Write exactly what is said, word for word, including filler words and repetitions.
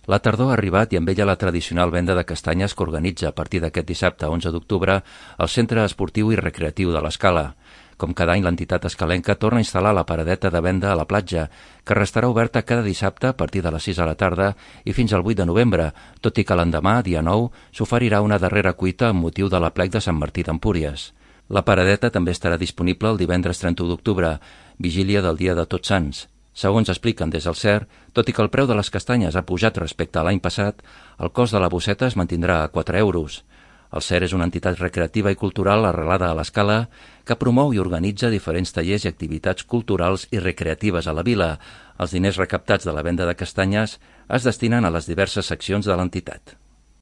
La tardor ha arribat i amb ella la tradicional venda de castanyes que organitza a partir d'aquest dissabte onze d'octubre el Centre Esportiu i Recreatiu de l'Escala. Com cada any, l'entitat escalenca torna a instal·lar la paradeta de venda a la platja, que restarà oberta cada dissabte a partir de les sis de la tarda i fins al vuit de novembre, tot i que l'endemà, dia nou, s'oferirà una darrera cuita amb motiu de l'aplec de Sant Martí d'Empúries. La paradeta també estarà disponible el divendres trenta-u d'octubre, vigília del dia de Tots Sants. Segons expliquen des del C E R, tot i que el preu de les castanyes ha pujat respecte a l'any passat, el cost de la bosseta es mantindrà a quatre euros. El C E R és una entitat recreativa i cultural arrelada a l'Escala que promou i organitza diferents tallers i activitats culturals i recreatives a la vila. Els diners recaptats de la venda de castanyes es destinen a les diverses seccions de l'entitat.